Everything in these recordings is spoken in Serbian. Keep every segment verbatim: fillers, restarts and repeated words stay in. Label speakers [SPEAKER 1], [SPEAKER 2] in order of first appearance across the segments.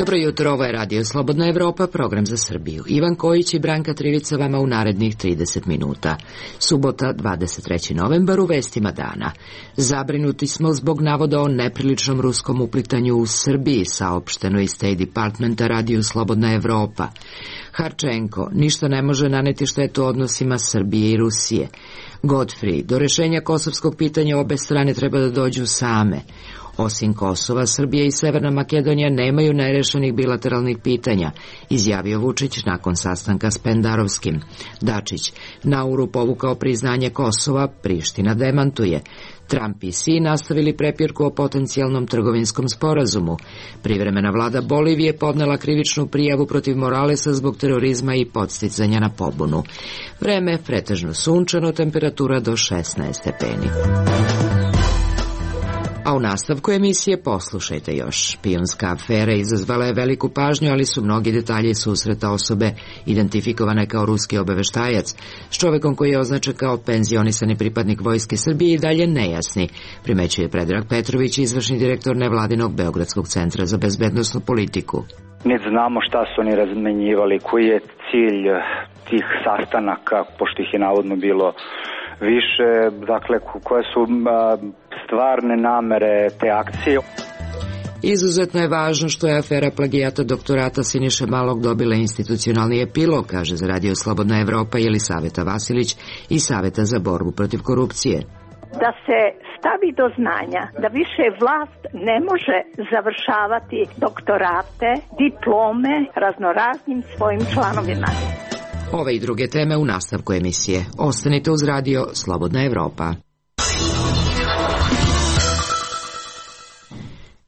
[SPEAKER 1] Dobro jutro, ovo je Radio Slobodna Evropa, program za Srbiju. Ivan Kojić i Branka Trivica vama u narednih trideset minuta. Subota, dvadeset treći novembar, u vestima dana. Zabrinuti smo zbog navoda o nepriličnom ruskom uplitanju u Srbiji, saopšteno iz State Departmenta Radio Slobodna Evropa. Harčenko, ništa ne može naneti štetu odnosima Srbije i Rusije. Godfrey, do rešenja kosovskog pitanja obe strane treba da dođu same. Osim Kosova, Srbija i Severna Makedonija nemaju nerešenih bilateralnih pitanja, izjavio Vučić nakon sastanka s Pendarovskim. Dačić, Nauru povukao priznanje Kosova, Priština demantuje. Trump i Xi nastavili prepirku o potencijalnom trgovinskom sporazumu. Privremena vlada Bolivije podnela krivičnu prijavu protiv Moralesa zbog terorizma i podsticanja na pobunu. Vreme pretežno sunčano, temperatura do šesnaest stepeni. A u nastavku emisije poslušajte još. Špijunska afera izazvala je veliku pažnju, ali su mnogi detalji susreta osobe identifikovane kao ruski obaveštajac s čovekom koji je označen kao penzionisani pripadnik Vojske Srbije i dalje nejasni, primećuje Predrag Petrović, izvršni direktor nevladinog Beogradskog centra za bezbednosnu politiku.
[SPEAKER 2] Niti znamo šta su oni razmenjivali, koji je cilj tih sastanaka, pošto ih je navodno bilo više, dakle, koje su a, stvarne namere te akcije.
[SPEAKER 1] Izuzetno je važno što je afera plagijata doktorata Siniše Malog dobila institucionalni epilog, kaže za Radio Slobodna Evropa Jelisaveta Vasilić iz Saveta za borbu protiv korupcije.
[SPEAKER 3] Da se stavi do znanja da više vlast ne može završavati doktorate, diplome raznoraznim svojim članovima.
[SPEAKER 1] Ove i druge teme u nastavku emisije. Ostanite uz Radio Slobodna Evropa.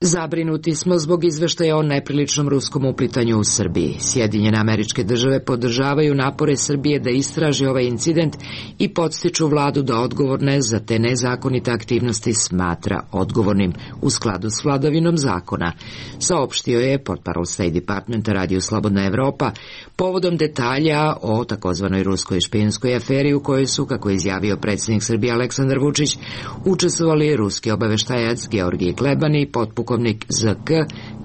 [SPEAKER 1] Zabrinuti smo zbog izveštaja o nepriličnom ruskom uplitanju u Srbiji. Sjedinjene Američke Države podržavaju napore Srbije da istraži ovaj incident i podstiču vladu da odgovorne za te nezakonite aktivnosti smatra odgovornim u skladu s vladavinom zakona, saopštio je portparol State Departmenta Radio Slobodna Evropa povodom detalja o takozvanoj ruskoj špijunskoj aferi u kojoj su, kako je izjavio predsjednik Srbije Aleksandar Vučić, učestvovali ruski obaveštajac Georgij Kleban i potpukovnik Z K,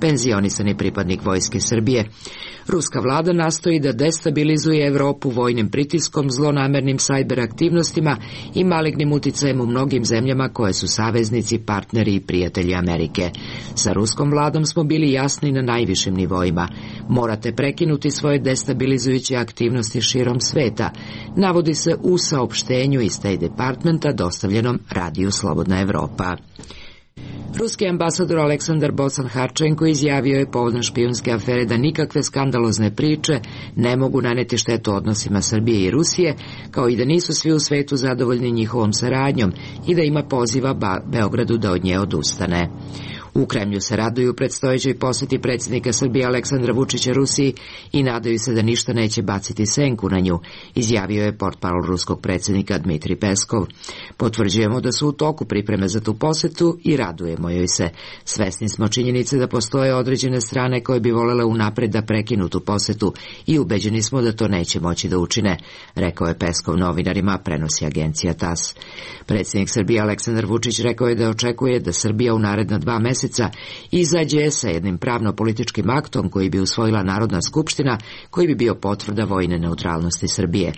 [SPEAKER 1] penzionisani pripadnik Vojske Srbije. Ruska vlada nastoji da destabilizuje Evropu vojnim pritiskom, zlonamernim sajber aktivnostima i malignim uticajem u mnogim zemljama koje su saveznici, partneri i prijatelji Amerike. Sa ruskom vladom smo bili jasni na najvišim nivoima. Morate prekinuti svoje destabilizujuće aktivnosti širom sveta, navodi se u saopštenju iz State Departmenta dostavljenom Radiju Slobodna Evropa. Ruski ambasador Aleksandar Bocan Harčenko izjavio je povodom špijunske afere da nikakve skandalozne priče ne mogu naneti štetu odnosima Srbije i Rusije, kao i da nisu svi u svetu zadovoljni njihovom saradnjom i da ima poziva Beogradu da od nje odustane. U Kremlju se raduju predstojećoj poseti predsjednika Srbije Aleksandra Vučića Rusiji i nadaju se da ništa neće baciti senku na nju, izjavio je portparol ruskog predsjednika Dmitri Peskov. Potvrđujemo da su u toku pripreme za tu posetu i radujemo joj se. Svesni smo činjenice da postoje određene strane koje bi volele unapred da prekinu tu posetu i ubeđeni smo da to neće moći da učine, rekao je Peskov novinarima, prenosi agencija T A S. Predsjednik Srbije Aleksandar Vučić rekao je da očekuje da Srbija u naredna dva meseca izađe sa jednim pravno-političkim aktom koji bi usvojila Narodna skupština, koji bi bio potvrda vojne neutralnosti Srbije.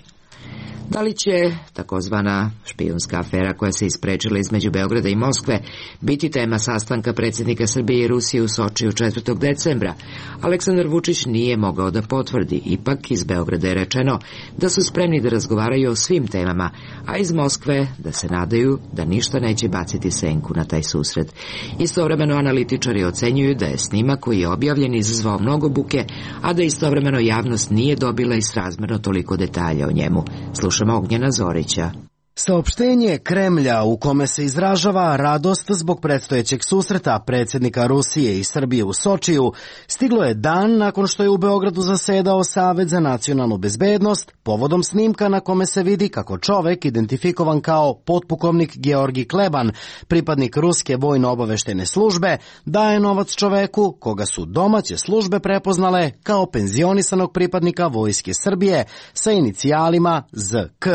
[SPEAKER 1] Da li će takozvana špijunska afera koja se isprečila između Beograda i Moskve biti tema sastanka predsjednika Srbije i Rusije u Sočiju četvrtog decembra? Aleksandar Vučić nije mogao da potvrdi, ipak iz Beograda je rečeno da su spremni da razgovaraju o svim temama, a iz Moskve da se nadaju da ništa neće baciti senku na taj susret. Istovremeno analitičari ocenjuju da je snimak koji je objavljen izazvao mnogo buke, a da istovremeno javnost nije dobila i srazmerno toliko detalja o njemu. Slušamo Ognjena Zorića.
[SPEAKER 4] Saopštenje Kremlja u kome se izražava radost zbog predstojećeg susreta predsjednika Rusije i Srbije u Sočiju stiglo je dan nakon što je u Beogradu zasedao Savet za nacionalnu bezbednost povodom snimka na kome se vidi kako čovek identifikovan kao potpukovnik Georgij Kleban, pripadnik ruske vojno-obaveštene službe, daje novac čoveku koga su domaće službe prepoznale kao penzionisanog pripadnika Vojske Srbije sa inicijalima Z K.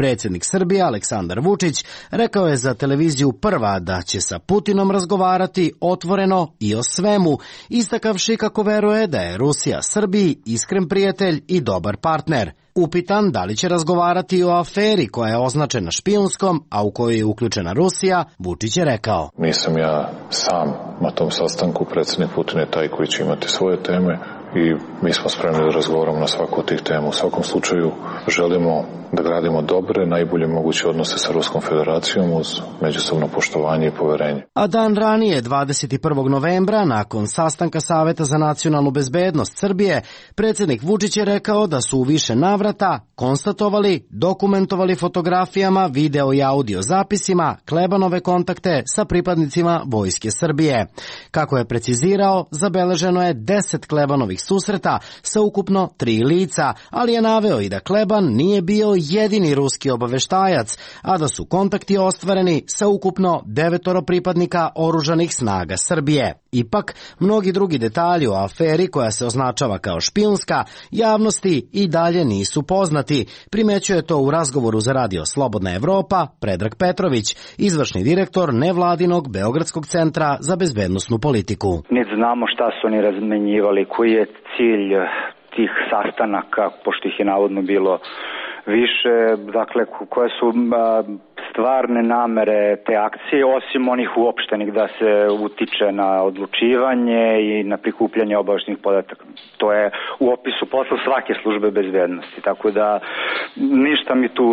[SPEAKER 4] Predsjednik Srbije Aleksandar Vučić rekao je za televiziju Prva da će sa Putinom razgovarati otvoreno i o svemu, istakavši kako veruje da je Rusija Srbiji iskren prijatelj i dobar partner. Upitan da li će razgovarati o aferi koja je označena špijunskom, a u kojoj je uključena Rusija, Vučić je rekao:
[SPEAKER 5] Nisam ja sam na tom sastanku, predsjednik Putin je taj koji će imati svoje teme i mi smo spremni da razgovaramo na svaku od tih tema. U svakom slučaju želimo da gradimo dobre, najbolje moguće odnose sa Ruskom federacijom uz međusobno poštovanje i poverenje.
[SPEAKER 4] A dan ranije, dvadeset prvog novembra, nakon sastanka Saveta za nacionalnu bezbednost Srbije, predsjednik Vučić je rekao da su u više navrata konstatovali, dokumentovali fotografijama, video i audio zapisima Klebanove kontakte sa pripadnicima Vojske Srbije. Kako je precizirao, zabeleženo je deset Klebanovih susreta sa ukupno tri lica, ali je naveo i da Kleban nije bio jedini ruski obaveštajac, a da su kontakti ostvareni sa ukupno devetoro pripadnika oružanih snaga Srbije. Ipak, mnogi drugi detalji o aferi koja se označava kao špijunska javnosti i dalje nisu poznati, primećuje to u razgovoru za radio Slobodna Evropa Predrag Petrović, izvršni direktor nevladinog Beogradskog centra za bezbednosnu politiku.
[SPEAKER 2] Niti znamo šta su oni razmenjivali, koji je cilj tih sastanaka, pošto ih je navodno bilo više, dakle, koje su a, stvarne namere te akcije, osim onih uopštenih da se utiče na odlučivanje i na prikupljanje obaveštenih podataka. To je u opisu posla svake službe bezbednosti, tako da ništa mi tu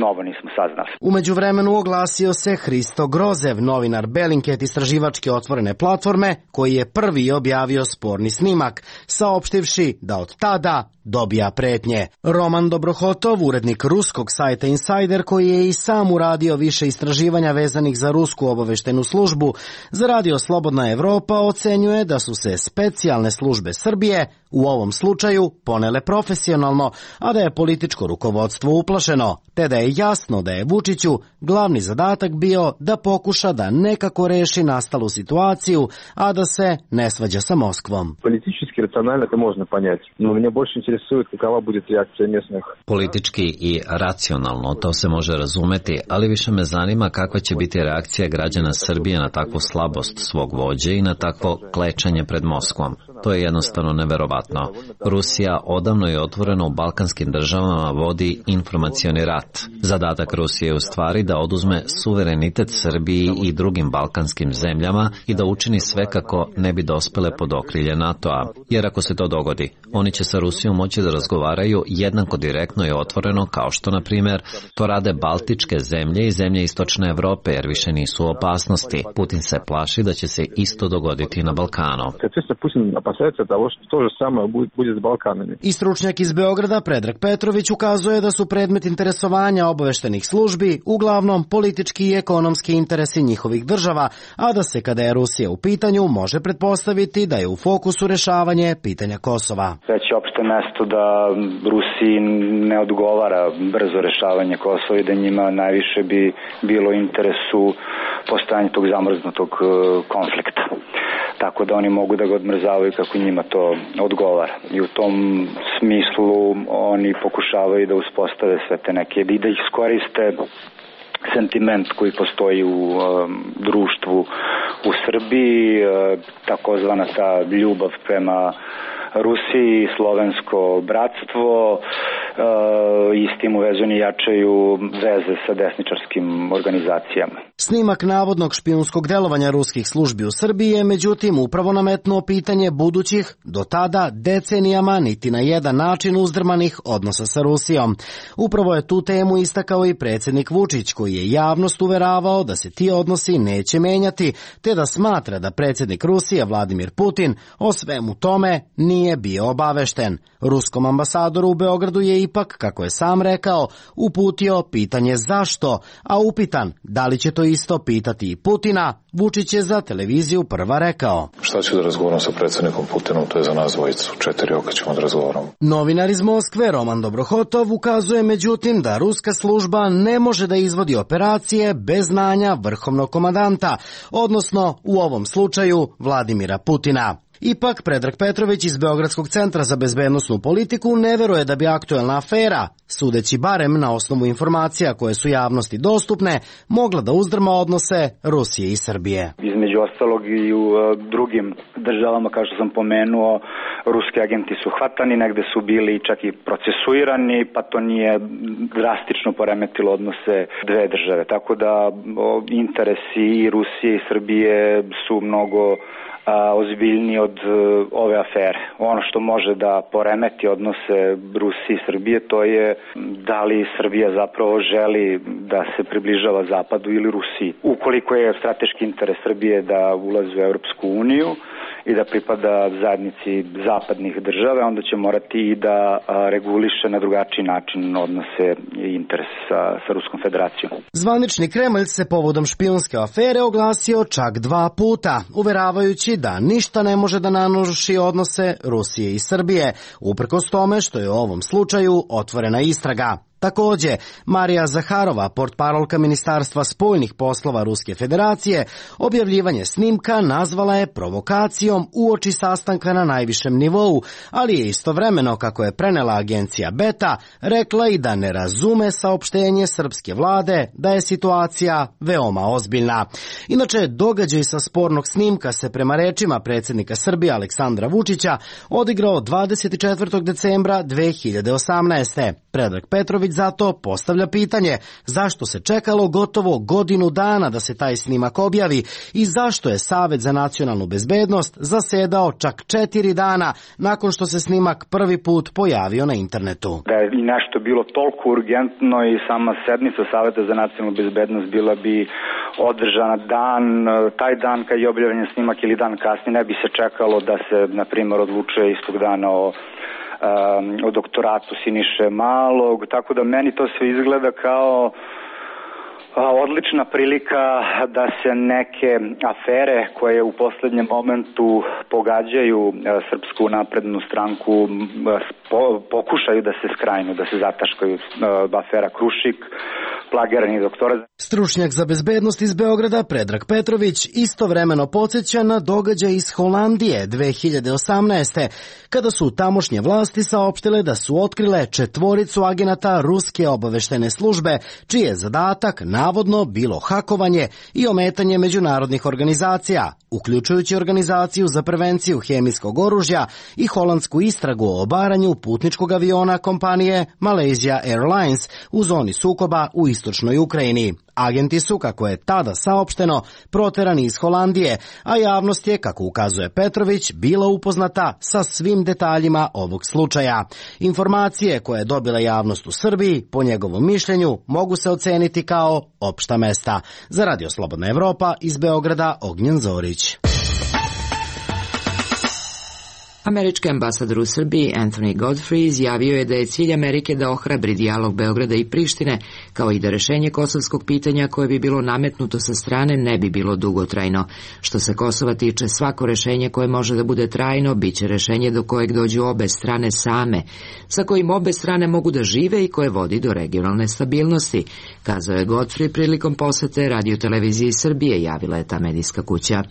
[SPEAKER 2] novo nismo saznali.
[SPEAKER 4] U međuvremenu oglasio se Hristo Grozev, novinar Bellingcat istraživačke otvorene platforme, koji je prvi objavio sporni snimak, saopštivši da od tada dobija pretnje. Roman Dobrohotov, urednik ruskog sajta Insider, koji je i sam uradio više istraživanja vezanih za rusku obaveštenu službu, za radio Slobodna Evropa ocenjuje da su se specijalne službe Srbije u ovom slučaju ponele profesionalno, a da je političko rukovodstvo uplašeno, te da je jasno da je Vučiću glavni zadatak bio da pokuša da nekako reši nastalu situaciju, a da se ne svađa sa Moskvom.
[SPEAKER 6] Politički racionalno to možno понять, no mene больше interesuje kakva bude reakcija mjesnih.
[SPEAKER 7] Politički i racionalno to se može razumeti, ali više me zanima kakva će biti reakcija građana Srbije na takvu slabost svog vođe i na takvo klečanje pred Moskvom. To je jednostavno neverovatno. Rusija odavno i otvoreno u balkanskim državama vodi informacioni rat. Zadatak Rusije je u stvari da oduzme suverenitet Srbiji i drugim balkanskim zemljama i da učini sve kako ne bi dospele pod okrilje NATO-a. Jer ako se to dogodi, oni će sa Rusijom moći da razgovaraju jednako direktno i otvoreno, kao što, na primjer, to rade baltičke zemlje i zemlje istočne Evrope, jer više nisu u opasnosti. Putin se plaši da će se isto dogoditi na Balkanu.
[SPEAKER 4] I stručnjak iz Beograda Predrag Petrović ukazuje da su predmet interesovanja obaveštenih službi uglavnom politički i ekonomski interesi njihovih država, a da se kada je Rusija u pitanju može pretpostaviti da je u fokusu rešavanje pitanja Kosova.
[SPEAKER 2] Već je opšte mesto da Rusiji ne odgovara brzo rešavanje Kosova i da njima najviše bi bilo interesu postojanje tog zamrznutog konflikta. Tako da oni mogu da ga odmrzavaju kako njima to odgovara. I u tom smislu oni pokušavaju da uspostave sve te neke, i da ih iskoriste sentiment koji postoji u um, društvu u Srbiji, uh, takozvana ta ljubav prema Rusiji, slovensko bratstvo, i s tim uvezani jačaju veze sa desničarskim organizacijama.
[SPEAKER 4] Snimak navodnog špijunskog delovanja ruskih službi u Srbiji je međutim upravo nametnuo pitanje budućih, do tada decenijama niti na jedan način uzdrmanih odnosa sa Rusijom. Upravo je tu temu istakao i predsjednik Vučić, koji je javnost uveravao da se ti odnosi neće menjati, te da smatra da predsjednik Rusije Vladimir Putin o svemu tome nije bio obavešten. Ruskom ambasadoru u Beogradu je ipak, kako je sam rekao, uputio pitanje zašto, a upitan da li će to isto pitati i Putina, Vučić je za televiziju Prva rekao:
[SPEAKER 5] Šta ću da razgovaram sa predsjednikom Putinom, to je za nas dvojicu, četiri oka ćemo da razgovaramo.
[SPEAKER 4] Novinar iz Moskve Roman Dobrohotov ukazuje međutim da ruska služba ne može da izvodi operacije bez znanja vrhovnog komandanta, odnosno u ovom slučaju Vladimira Putina. Ipak, Predrag Petrović iz Beogradskog centra za bezbednosnu politiku ne veruje da bi aktuelna afera, sudeći barem na osnovu informacija koje su javnosti dostupne, mogla da uzdrma odnose Rusije i Srbije.
[SPEAKER 2] Između ostalog i u drugim državama, kao što sam pomenuo, ruski agenti su hvatani, negde su bili čak i procesuirani, pa to nije drastično poremetilo odnose dve države. Tako da interesi i Rusije i Srbije su mnogo a, ozbiljniji od a, ove afere. Ono što može da poremeti odnose Rusije i Srbije, to je da li Srbija zapravo želi da se približava Zapadu ili Rusiji. Ukoliko je strateški interes Srbije da ulazi u Evropsku uniju i da pripada zajednici zapadnih država, onda će morati i da reguliše na drugačiji način odnose i interes sa, sa Ruskom federacijom.
[SPEAKER 4] Zvanični Kremlj se povodom špijunske afere oglasio čak dva puta, uveravajući da ništa ne može da naruši odnose Rusije i Srbije, uprkos tome što je u ovom slučaju otvorena istraga. Takođe, Marija Zaharova, portparolka Ministarstva spoljnih poslova Ruske federacije, objavljivanje snimka nazvala je provokacijom uoči sastanka na najvišem nivou, ali je istovremeno, kako je prenela agencija Beta, rekla i da ne razume saopštenje srpske vlade da je situacija veoma ozbiljna. Inače, događaj sa spornog snimka se prema rečima predsjednika Srbije Aleksandra Vučića odigrao dvadeset četvrtog decembra dve hiljade osamnaeste. Predrag Petrović zato postavlja pitanje zašto se čekalo gotovo godinu dana da se taj snimak objavi i zašto je Savet za nacionalnu bezbednost zasedao čak četiri dana nakon što se snimak prvi put pojavio na internetu.
[SPEAKER 2] Da je nešto bilo toliko urgentno i sama sednica Saveta za nacionalnu bezbednost bila bi održana dan, taj dan kad je objavljen snimak ili dan kasnije, ne bi se čekalo da se, na primjer, odlučuje istog dana o o doktoratu Siniše Malog, tako da meni to sve izgleda kao odlična prilika da se neke afere koje u poslednjem momentu pogađaju Srpsku naprednu stranku pokušaju da se skrajnu, da se zataškaju. Afera Krušik, plagirani doktorat.
[SPEAKER 4] Stručnjak za bezbednost iz Beograda Predrag Petrović istovremeno podsjeća na događaj iz Holandije dve hiljade osamnaeste. kada su tamošnje vlasti saopštile da su otkrile četvoricu agenata ruske obaveštene službe, čiji je zadatak navodno bilo hakovanje i ometanje međunarodnih organizacija, uključujući Organizaciju za prevenciju hemijskog oružja i holandsku istragu o obaranju putničkog aviona kompanije Malaysia Airlines u zoni sukoba u istočnoj Ukrajini. Agenti su, kako je tada saopšteno, proterani iz Holandije, a javnost je, kako ukazuje Petrović, bila upoznata sa svim detaljima ovog slučaja. Informacije koje je dobila javnost u Srbiji, po njegovom mišljenju, mogu se oceniti kao opšta mesta. Za Radio Slobodna Evropa, iz Beograda, Ognjen Zorić.
[SPEAKER 1] Američki ambasador u Srbiji Anthony Godfrey izjavio je da je cilj Amerike da ohrabri dijalog Beograda i Prištine, kao i da rešenje kosovskog pitanja koje bi bilo nametnuto sa strane ne bi bilo dugotrajno. Što se Kosova tiče, svako rešenje koje može da bude trajno biće rešenje do kojeg dođu obe strane same, sa kojim obe strane mogu da žive i koje vodi do regionalne stabilnosti, kazao je Godfrey prilikom posete Radio-televiziji Srbije, javila je ta medijska kuća.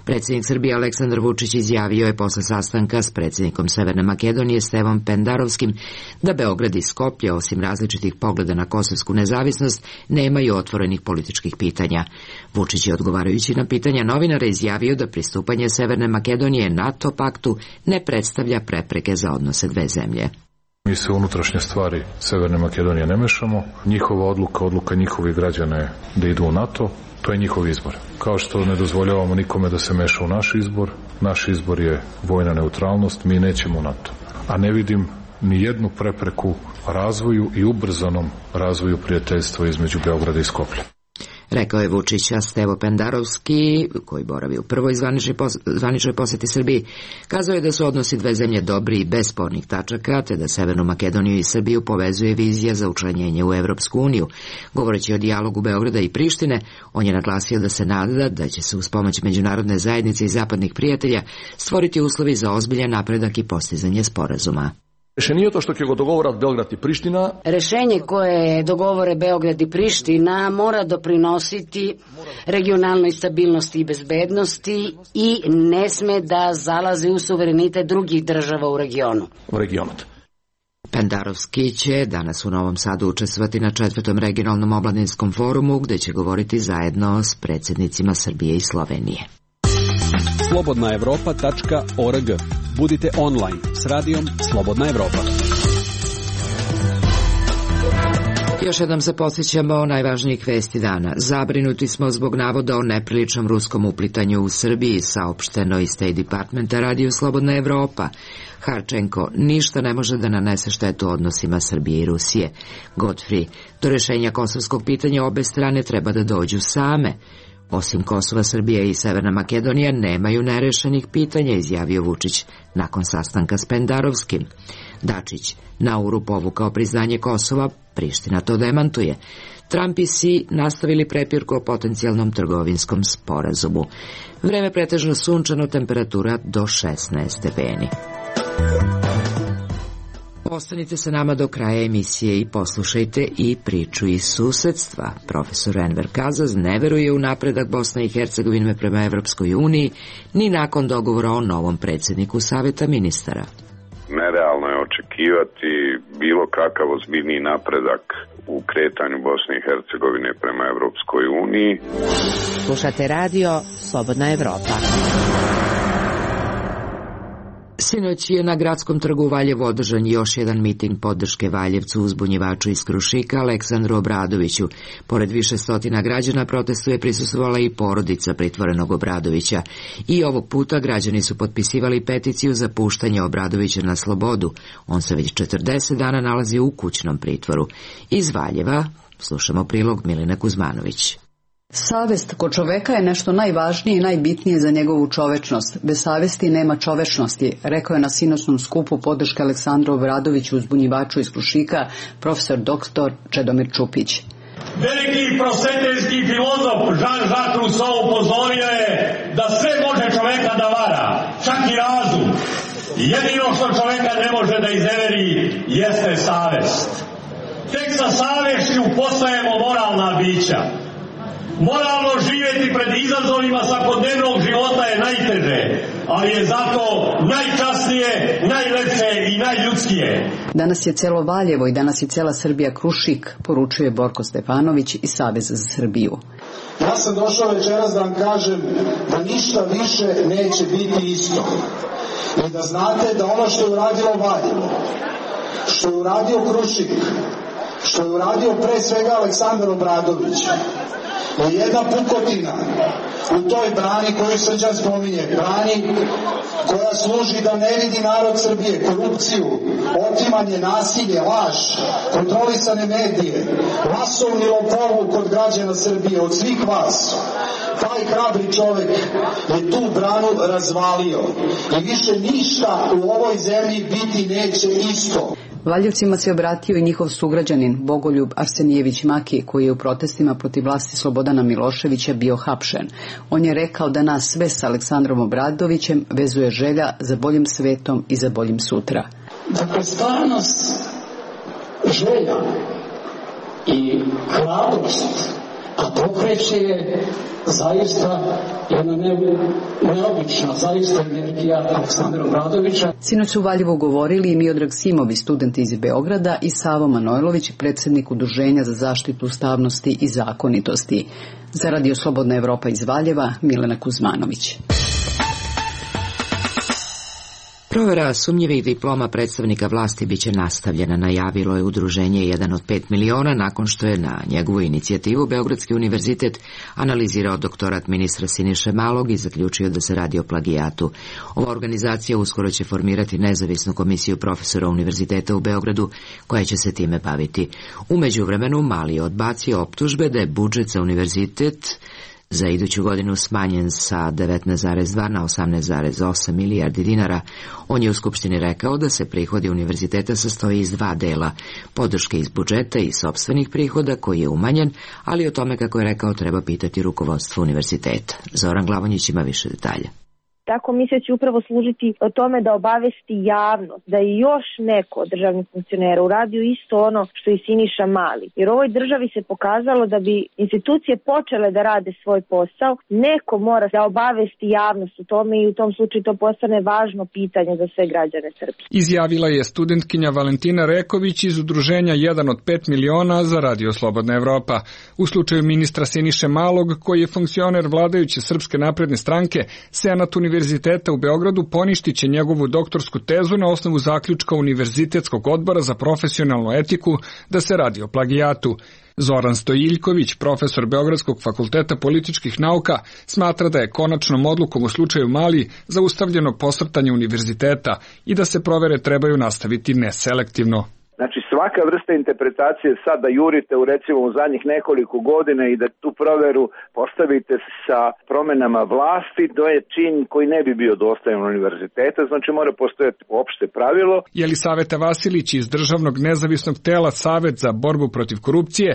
[SPEAKER 1] Predsjednik Srbije Aleksandar Vučić izjavio je posle sastanka s predsjednikom Severne Makedonije Stevom Pendarovskim da Beograd i Skoplje, osim različitih pogleda na kosovsku nezavisnost, nemaju otvorenih političkih pitanja. Vučić je, odgovarajući na pitanja novinara, izjavio da pristupanje Severne Makedonije NATO paktu ne predstavlja prepreke za odnose dve zemlje.
[SPEAKER 5] Mi se unutrašnje stvari Severne Makedonije ne mešamo. Njihova odluka, odluka njihovih građana je da idu u NATO. To je njihov izbor. Kao što ne dozvoljavamo nikome da se meša u naš izbor, naš izbor je vojna neutralnost, mi nećemo u NATO. A ne vidim ni jednu prepreku razvoju i ubrzanom razvoju prijateljstva između Beograda i Skoplja.
[SPEAKER 1] Rekao je Vučić, a Stevo Pendarovski, koji boravi u prvoj zvaničnoj poseti Srbiji, kazao je da su odnosi dve zemlje dobri i bez spornih tačaka, te da Severnu Makedoniju i Srbiju povezuje vizija za učlanjenje u Evropsku uniju. Govoreći o dijalogu Beograda i Prištine, on je naglasio da se nada da će se uz pomoć međunarodne zajednice i zapadnih prijatelja stvoriti uslovi za ozbiljan napredak i postizanje sporazuma.
[SPEAKER 8] Rešenje je to što će go dogovorati Beograd i Priština.
[SPEAKER 9] Rešenje koje dogovore Beograd i Priština mora doprinositi regionalnoj stabilnosti i bezbednosti i ne sme da zalazi u suverenitet drugih država u regionu.
[SPEAKER 8] U regionu.
[SPEAKER 1] Pendarovski će danas u Novom Sadu učestvovati na četvrtom regionalnom omladinskom forumu gde će govoriti zajedno s predsjednicima Srbije i Slovenije.
[SPEAKER 10] slobodna evropa tačka org. Budite online s radijom Slobodna Evropa.
[SPEAKER 1] Još jednom se podsjećamo o najvažnijih vesti dana. Zabrinuti smo zbog navoda o nepriličnom ruskom uplitanju u Srbiji, saopšteno iz State Departmenta radiju Slobodna Evropa. Harčenko, ništa ne može da nanese štetu odnosima Srbije i Rusije. Godfrey, do rešenja kosovskog pitanja obe strane treba da dođu same. Osim Kosova, Srbija i Severna Makedonija nemaju nerešenih pitanja, izjavio Vučić nakon sastanka s Pendarovskim. Dačić, Nauru povukao priznanje Kosova, Priština to demantuje. Trump i Si nastavili prepirku o potencijalnom trgovinskom sporazumu. Vreme pretežno sunčano, temperatura do šesnaest stepeni. Ostanite sa nama do kraja emisije i poslušajte i priču iz susedstva. Profesor Enver Kazaz ne veruje u napredak Bosne i Hercegovine prema Evropskoj uniji, ni nakon dogovora o novom predsjedniku Saveta ministara.
[SPEAKER 11] Nerealno je očekivati bilo kakav ozbiljniji napredak u kretanju Bosne i Hercegovine prema Evropskoj uniji.
[SPEAKER 12] Slušate radio Slobodna Evropa.
[SPEAKER 1] Sinoć je na Gradskom trgu u Valjevu održan još jedan miting podrške Valjevcu uzbunjivaču iz Krušika Aleksandru Obradoviću. Pored više stotina građana protestu je prisustvovala i porodica pritvorenog Obradovića. I ovog puta građani su potpisivali peticiju za puštanje Obradovića na slobodu. On se već četrdeset dana nalazi u kućnom pritvoru. Iz Valjeva slušamo prilog Milene Kuzmanović.
[SPEAKER 13] Savest kod čoveka je nešto najvažnije i najbitnije za njegovu čovečnost. Bez savesti nema čovečnosti, rekao je na sinoćnom skupu podrške Aleksandru Obradoviću uzbunjivaču iz Krušika profesor doktor Čedomir Čupić.
[SPEAKER 14] Veliki prosveteljski filozof Jean-Jacques Rousseau upozorio je da sve može čoveka da vara, čak i razum. Jedino što čoveka ne može da izneveri jeste savest. Tek sa savešću postajemo moralna bića. Moralno živjeti pred izazovima svakodnevnog života je najteže, ali je zato najčasnije, najlepše i najljudskije.
[SPEAKER 13] Danas je celo Valjevo i danas je cela Srbija Krušik, poručuje Borko Stefanović iz Saveza za Srbiju.
[SPEAKER 15] Ja sam došao večeras da vam kažem da ništa više neće biti isto. I da znate da ono što je uradilo Valjevo, što je uradio Krušik, što je uradio pre svega Aleksandar Obradović, je jedna pukotina u toj brani koju Srđan spominje, brani koja služi da ne vidi narod Srbije, korupciju, otimanje, nasilje, laž, kontrolisane medije, masovni lopovluk kod građana Srbije, od svih vas. Taj hrabri čovek je tu branu razvalio i više ništa u ovoj zemlji biti neće isto.
[SPEAKER 13] Valjevcima se obratio i njihov sugrađanin Bogoljub Arsenijević Maki, koji je u protestima protiv vlasti Slobodana Miloševića bio hapšen. On je rekao da nas sve s Aleksandrom Obradovićem vezuje želja za boljim svetom i za boljim sutra.
[SPEAKER 15] Dakle, stvarnost, želja i hrabrost, a pokreće je zaista jedna ne, neobična, zaista energija Aleksandra Obradovića.
[SPEAKER 13] Sinoć su u Valjevu govorili i Miodrag Simovi, student iz Beograda, i Savo Manojlović, predsjednik Udruženja za zaštitu ustavnosti i zakonitosti. Za Radio Slobodna Evropa iz Valjeva, Milena Kuzmanović.
[SPEAKER 1] Provera sumnjivih diploma predstavnika vlasti biće nastavljena, najavilo je udruženje jedan od pet miliona nakon što je na njegovu inicijativu Beogradski univerzitet analizirao doktorat ministra Siniše Malog i zaključio da se radi o plagijatu. Ova organizacija uskoro će formirati nezavisnu komisiju profesora univerziteta u Beogradu koja će se time baviti. U međuvremenu Mali je odbacio optužbe da je budžet za univerzitet za iduću godinu smanjen sa devetnaest zarez dva na osamnaest zarez osam milijardi dinara. On je u Skupštini rekao da se prihodi univerziteta sastoji iz dva dela, podrške iz budžeta i sopstvenih prihoda koji je umanjen, ali o tome, kako je rekao, treba pitati rukovodstvo univerziteta. Zoran Glavonjić ima više detalja.
[SPEAKER 16] Ta komisija će upravo služiti o tome da obavesti javnost, da je još neko od državnih funkcionera uradio isto ono što i Siniša Mali. Jer u ovoj državi se pokazalo da bi institucije počele da rade svoj posao, neko mora da obavesti javnost o tome i u tom slučaju to postane važno pitanje za sve građane Srbije.
[SPEAKER 17] Izjavila je studentkinja Valentina Reković iz udruženja jedan od pet miliona za Radio Slobodna Evropa. U slučaju ministra Siniše Malog, koji je funkcioner vladajuće Srpske napredne stranke, Senat Univerziteta u Beogradu poništit će njegovu doktorsku tezu na osnovu zaključka Univerzitetskog odbora za profesionalnu etiku da se radi o plagijatu. Zoran Stojiljković, profesor Beogradskog fakulteta političkih nauka, smatra da je konačnom odlukom u slučaju Mali zaustavljeno posrtanje univerziteta i da se provere trebaju nastaviti neselektivno.
[SPEAKER 18] Znači svaka vrsta interpretacije sad da jurite u recimo u zadnjih nekoliko godina i da tu proveru postavite sa promenama vlasti, to je čin koji ne bi bio dostajan univerziteta, znači mora postojati opšte pravilo.
[SPEAKER 17] Jelisaveta Vasilić iz Državnog nezavisnog tela Savet za borbu protiv korupcije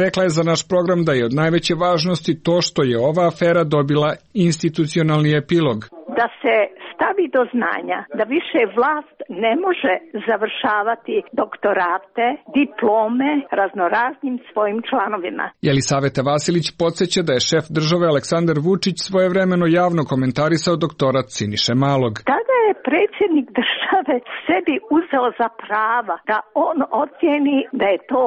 [SPEAKER 17] rekla je za naš program da je od najveće važnosti to što je ova afera dobila institucionalni epilog.
[SPEAKER 3] Da se stavi do znanja da više vlast ne može završavati doktorate, diplome raznoraznim svojim članovima.
[SPEAKER 17] Jelisaveta Vasilić podsjeća da je šef države Aleksandar Vučić svojevremeno javno komentarisao doktorat Siniše Malog.
[SPEAKER 3] Tada je predsjednik države sebi uzeo za prava da on ocjeni da je to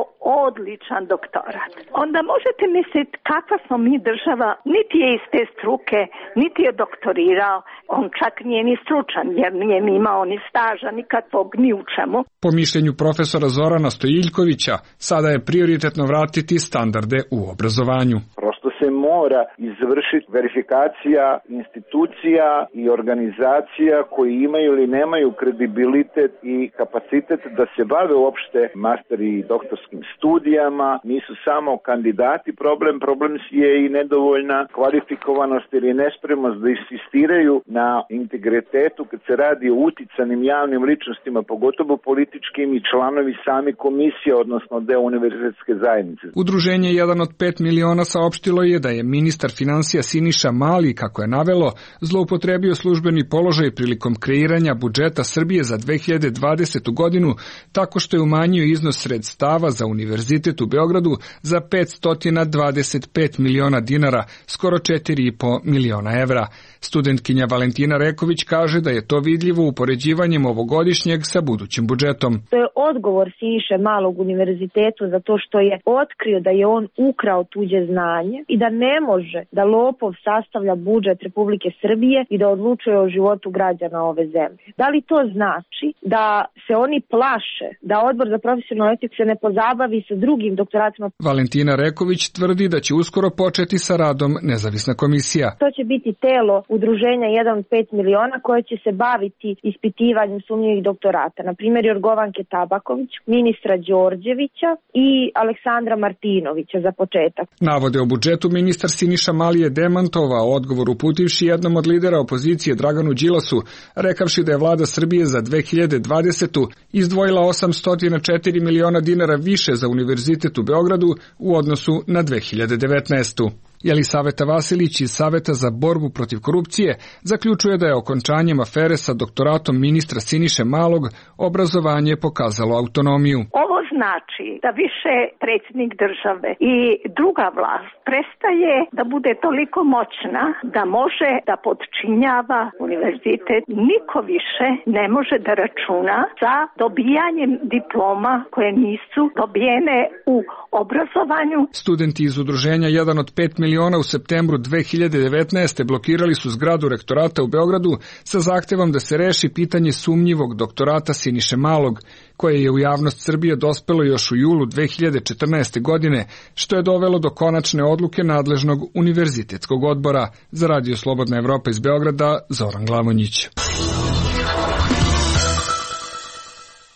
[SPEAKER 3] odličan doktorat. Onda možete misliti kakva smo mi država, niti je iz te struke, niti je doktorirao, on čak nije ni stručan jer nije ni imao ni staža, nikakvog ni u čemu.
[SPEAKER 17] Po mišljenju profesora Zorana Stojiljkovića, sada je prioritetno vratiti standarde u obrazovanju.
[SPEAKER 18] Prosto se mora izvršiti verifikacija institucija i organizacija koji imaju ili nemaju kredibilitet i kapacitet da se bave uopšte master i doktorskim studijama. Nisu samo kandidati problem, problem je i nedovoljna kvalifikovanost ili nespremnost da insistiraju na integritetu kad se radi o uticanim javnim ličnostima, pogotovo političkim i članovi sami komisije, odnosno deo univerzitetske zajednice.
[SPEAKER 17] Udruženje jedan od pet miliona saopštilo je da je ministar finansija Siniša Mali, kako je navelo, zloupotrebio službeni položaj prilikom kreiranja budžeta Srbije za dve hiljade dvadesetu godinu tako što je umanjio iznos sredstava za Univerzitet u Beogradu za petsto dvadeset pet miliona dinara, skoro četiri i po miliona evra. Studentkinja Valentina Reković kaže da je to vidljivo upoređivanjem ovogodišnjeg sa budućim budžetom.
[SPEAKER 16] To je odgovor Siniše Malog univerzitetu za to što je otkrio da je on ukrao tuđe znanje i da ne može da lopov sastavlja budžet Republike Srbije i da odlučuje o životu građana ove zemlje. Da li to znači da se oni plaše da Odbor za profesionalnu etiku se ne pozabavi sa drugim doktoratima?
[SPEAKER 17] Valentina Reković tvrdi da će uskoro početi sa radom nezavisna komisija.
[SPEAKER 16] To će biti telo udruženja jedan od pet miliona koje će se baviti ispitivanjem sumnjivih doktorata. Na primjer Jorgovanke Tabaković, ministra Đorđevića i Aleksandra Martinovića za početak.
[SPEAKER 17] Navode o budžetu ministar Siniša Mali je demantovao odgovor uputivši jednom od lidera opozicije Draganu Đilasu, rekavši da je vlada Srbije za dve hiljade dvadesetu izdvojila osamsto četiri miliona dinara više za Univerzitet u Beogradu u odnosu na dve hiljade devetnaestu. Jelisaveta Vasilić iz Saveta za borbu protiv korupcije zaključuje da je okončanjem afere sa doktoratom ministra Siniše Malog obrazovanje pokazalo autonomiju.
[SPEAKER 3] Ovo znači da više predsjednik države i druga vlast prestaje da bude toliko moćna da može da podčinjava univerzitet. Niko više ne može da računa sa dobijanjem diploma koje nisu dobijene u obrazovanju.
[SPEAKER 17] Studenti iz udruženja jedan od pet miliona u septembru dve hiljade devetnaeste blokirali su zgradu rektorata u Beogradu sa zahtevom da se reši pitanje sumnjivog doktorata Siniše Malog, koje je u javnost Srbije dospelo još u julu dve hiljade četrnaeste. godine, što je dovelo do konačne odluke nadležnog univerzitetskog odbora. Za Radio Slobodna Evropa iz Beograda, Zoran Glavonjić.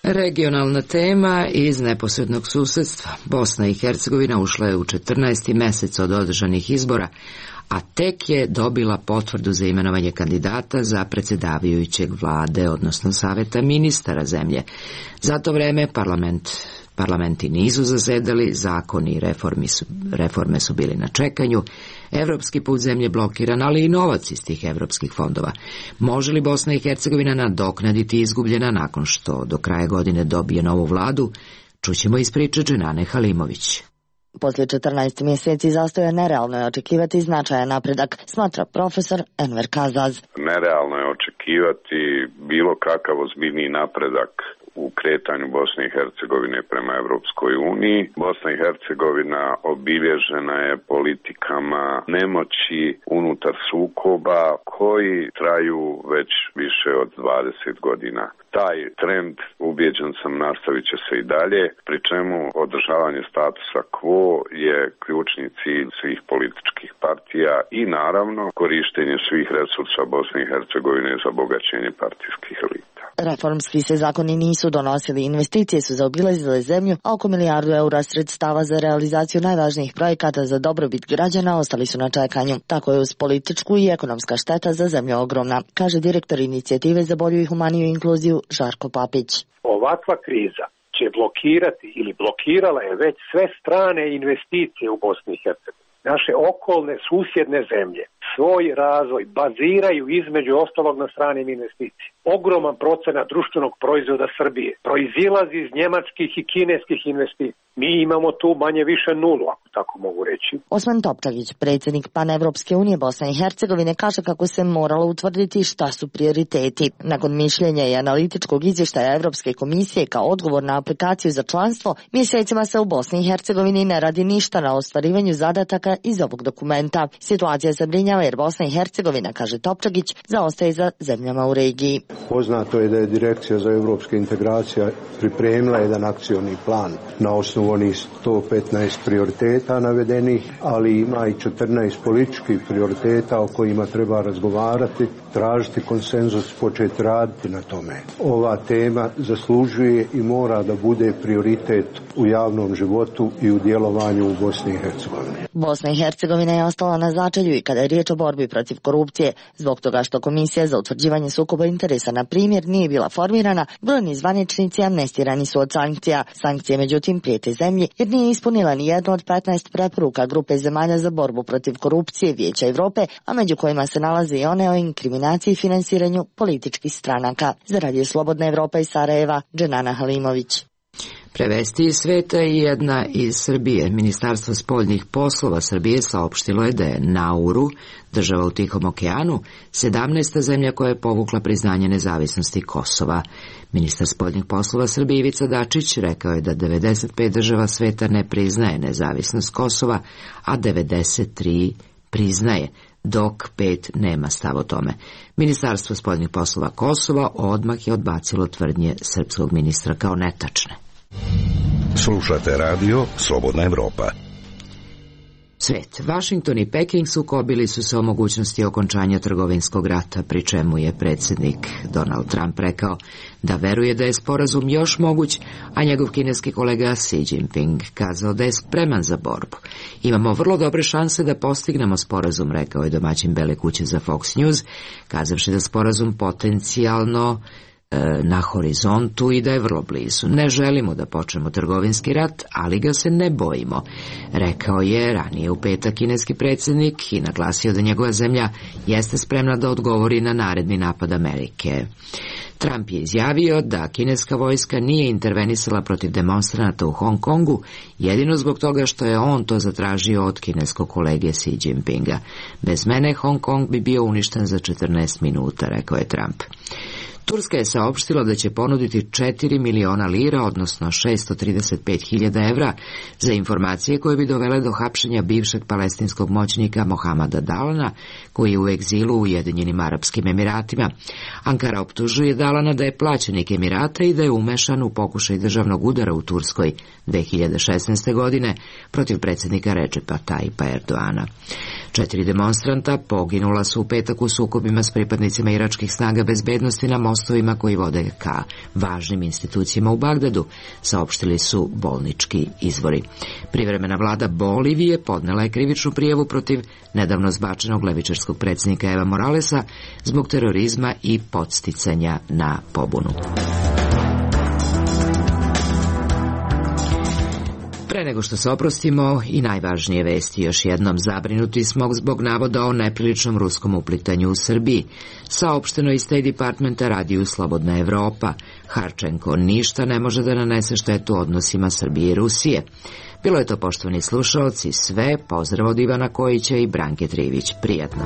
[SPEAKER 1] Regionalna tema iz neposrednog susedstva. Bosna i Hercegovina ušla je u četrnaesti mesec od održanih izbora, a tek je dobila potvrdu za imenovanje kandidata za predsjedavajućeg vlade, odnosno saveta ministara zemlje. Za to vreme parlament, parlamenti nisu zasedali, zakoni i reformi su, reforme su bili na čekanju. Evropski put zemlje blokiran, ali i novac iz tih evropskih fondova. Može li Bosna i Hercegovina nadoknaditi izgubljena nakon što do kraja godine dobije novu vladu? Čućemo iz priče Dženane Halimović.
[SPEAKER 19] Poslije četrnaest mjeseci zastoja nerealno je očekivati značajan napredak, smatra profesor Enver Kazaz.
[SPEAKER 11] Nerealno je očekivati bilo kakav ozbiljniji napredak u kretanju Bosne i Hercegovine prema Evropskoj uniji. Bosna i Hercegovina obilježena je politikama nemoći unutar sukoba koji traju već više od dvadeset godina. Taj trend, ubjeđen sam, nastavit će se i dalje, pri čemu održavanje statusa quo je ključni cilj svih političkih partija i naravno korištenje svih resursa Bosne i Hercegovine za bogaćenje partijskih elita.
[SPEAKER 19] Reformski se zakoni nisu donosili, investicije su zaobilazile zemlju, a oko milijardu eura sredstava za realizaciju najvažnijih projekata za dobrobit građana ostali su na čekanju. Tako je uz političku i ekonomska šteta za zemlju ogromna, kaže direktor inicijative za bolju i humaniju inkluziju Žarko Papić.
[SPEAKER 20] Ovakva kriza će blokirati ili blokirala je već sve strane investicije u Bosni i Hercegovini. Naše okolne susjedne zemlje svoj razvoj baziraju između ostalog na stranim investicijama. Ogroman procenat društvenog proizvoda Srbije proizilazi iz njemačkih i kineskih investicija. Mi imamo tu manje više nulu, ako tako mogu reći.
[SPEAKER 19] Osman Topčagić, predsjednik Panevropske unije Bosne i Hercegovine, kaže kako se moralo utvrditi šta su prioriteti. Nakon mišljenja i analitičkog izvještaja Evropske komisije kao odgovor na aplikaciju za članstvo, mjesecima se u Bosni i Hercegovini ne radi ništa na ostvarivanju zadataka iz ovog dokumenta. Situacija zabrinjava jer Bosna i Hercegovina, kaže Topčagić, zaostaje za zemljama u regiji.
[SPEAKER 21] Poznato je da je Direkcija za evropske integracije pripremila jedan akcioni plan na osnovu onih sto petnaest prioriteta navedenih, ali ima i četrnaest političkih prioriteta o kojima treba razgovarati, tražiti konsenzus, početi raditi na tome. Ova tema zaslužuje i mora da bude prioritet u javnom životu i u djelovanju u Bosni i Hercegovini.
[SPEAKER 19] Bosna i Hercegovina je ostala na začelju i kada je riječ o borbi protiv korupcije, zbog toga što Komisija za utvrđivanje sukoba interesa, na primjer, nije bila formirana, brojni zvaničnici amnestirani su od sankcija. Sankcije, međutim, prijete zemlji jer nije ispunila ni jednu od petnaest preporuka grupe zemalja za borbu protiv korupcije Vijeća Europe, a među kojima se nalaze i one o inkriminaciji i finansiranju političkih stranaka. Za Radio Slobodna Evropa iz Sarajeva, Dženana Halimović.
[SPEAKER 1] Prevesti iz sveta i jedna iz Srbije. Ministarstvo spoljnih poslova Srbije saopštilo je da je Nauru, država u Tihom okeanu, sedamnaesta zemlja koja je povukla priznanje nezavisnosti Kosova. Ministar spoljnih poslova Srbije Ivica Dačić rekao je da devedeset pet država sveta ne priznaje nezavisnost Kosova, a devedeset tri priznaje, dok pet nema stav o tome. Ministarstvo spoljnih poslova Kosova odmah je odbacilo tvrdnje srpskog ministra kao netačne.
[SPEAKER 22] Slušate radio Slobodna Evropa.
[SPEAKER 1] Svet. Washington i Peking sukobili su se o mogućnosti okončanja trgovinskog rata, pri čemu je predsjednik Donald Trump rekao da veruje da je sporazum još moguć, a njegov kineski kolega Xi Jinping kazao da je spreman za borbu. Imamo vrlo dobre šanse da postignemo sporazum, rekao je domaćin Bele kuće za Fox News, kazavši da sporazum potencijalno na horizontu i da je vrlo blizu. Ne želimo da počnemo trgovinski rat, ali ga se ne bojimo, rekao je ranije u petak kineski predsjednik i naglasio da njegova zemlja jeste spremna da odgovori na naredni napad Amerike. Trump je izjavio da kineska vojska nije intervenisala protiv demonstranata u Hong Kongu, jedino zbog toga što je on to zatražio od kineskog kolege Xi Jinpinga. Bez mene Hong Kong bi bio uništen za četrnaest minuta, rekao je Trump. Turska je saopštila da će ponuditi četiri miliona lira, odnosno šesto trideset pet hiljada evra, za informacije koje bi dovele do hapšenja bivšeg palestinskog moćnika Mohamada Dalana, koji je u egzilu u Ujedinjenim Arapskim Emiratima. Ankara optužuje Dalana da je plaćenik Emirata i da je umešan u pokušaj državnog udara u Turskoj dve hiljade šesnaeste. godine protiv predsjednika Recepa Tayyipa Erdoana. Četiri demonstranta poginula su u petak u sukobima s pripadnicima iračkih snaga bezbednosti na mostovima koji vode ka važnim institucijama u Bagdadu, saopštili su bolnički izvori. Privremena vlada Bolivije podnela je krivičnu prijavu protiv nedavno zbačenog levičarskog predsjednika Eva Moralesa zbog terorizma i podsticanja na pobunu. Pre nego što se oprostimo i najvažnije vesti, još jednom zabrinuti smo zbog navoda o nepriličnom ruskom uplitanju u Srbiji. Saopšteno iz State Departmenta radiju Slobodna Evropa. Harčenko ništa ne može da nanese štetu odnosima Srbije i Rusije. Bilo je to, poštovani slušaoci, sve. Pozdrav od Ivana Kojića i Branke Trivić. Prijatno.